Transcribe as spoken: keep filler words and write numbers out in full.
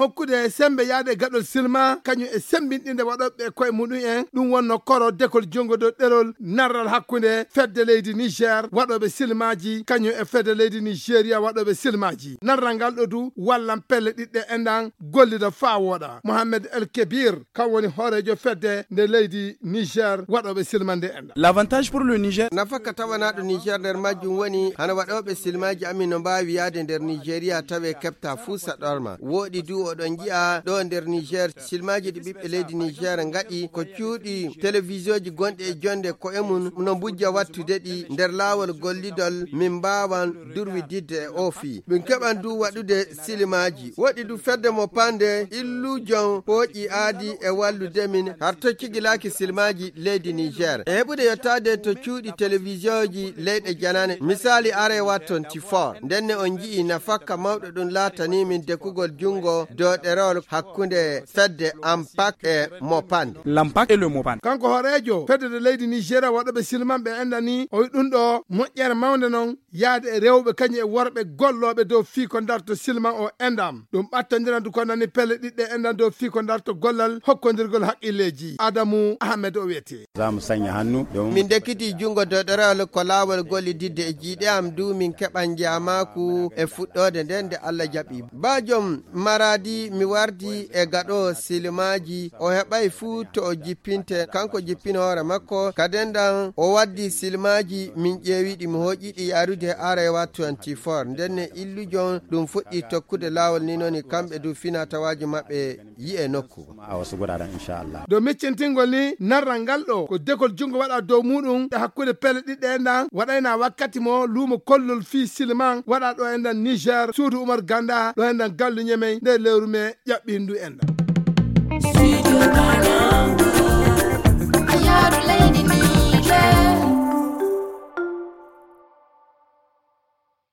hokkude sembe yaade gaɗol silma, kañum e sembinɗinde waɗooɓe koye muɗum en. Ɗum wonno koro dekol junngo dow ɗerol narral hakkunde fedde leydi Niger waɗooɓe silmaaji, kañum e fedde leydi Nigeria waɗooɓe silmaaji. Narral ngal ɗo du wallan pelle ɗiɗɗe enɗan gollida faa wooɗa. Mohamed El Kebir, kam woni hooreejo fedde nde leydi Niger waɗooɓe silmande enɗan. L'avantage pour le Niger. Nafaka tawanaaɗo Niger nder majjum woni hana waɗooɓe silmaaji amin no mbaawi yaade nder Nigeria tawe keɓta fuu saɗorma. Wooɗi du oɗon nji'a ɗo nder Niger, silmaaji ɗi ɓiɓɓe leydi Niger ngaɗi ko cuuɗi televisioji gonɗi e jonde ko'e mum no mbujja wattude ɗi nder laawol gollidol min mbaawan durwididde e oo fii. Min keɓan du waɗude silmaaji. Wooɗi du fedde mo pande illujon pooƴi aadi e wallude min har to cigilaaki silmaaji leydi Niger. E heɓude yottaade to cuuɗi televisioji leyɗe janane, misaali Arewa twenty-four. Ndenne on nji'i nafakka mawɗo ɗum laatanii min dekugol junngo dow ɗerol hakkunde fedde Ampak e Mopande. L'Ampak et le Mopande. Kanko hooreejo fedde leydi Nigeria waɗooɓe silmanɓe enɗan ni, o wi ɗum ɗo moƴƴere mawnde non yaade e rewɓe kañum e worɓe gollooɓe dow fii ko darto silman o enɗan. Ɗum ɓattondiran du ko nani pelle ɗiɗɗe enɗan dow fii ko darto gollal hokkondirgol haqqilleeji. Adamu Ahmed o wiyetee. Za mu sanya hannu domin min dekkiti junngo dow ɗerewol ko laawol gollididde e jiiɗe am du min keɓan njaamaaku e fuɗɗoode nden nde Allah jaɓi. Ba joom Maradi mi wardi e gaɗo silmaaji, o heɓay fuu to o jippinte, kanko jippin hoore makko. Kaden ɗan o waddi silmaaji, min ƴeewi ɗi, mi hoƴi ɗi yarude Arewa twenty-four. Ndenne illujon ɗum fuɗɗi tokkude laawol ni noni kamɓe du fina tawaaji maɓɓe yi'e nokku. A wasu guraren, insha Allah. Domin cintingol ni narral ngal ɗo ko dekol junngo waɗa dow muɗum e hakkunde pelle ɗiɗɗe enɗan waɗayna wakkati mo luumo kollol fii silman waɗa ɗo enɗan Niger, suudu Umar Ganda, ɗo enɗan gallu Ñemey, nde lewru me ƴaɓɓindu enɗan. Studio Banangu, a yaaru leydi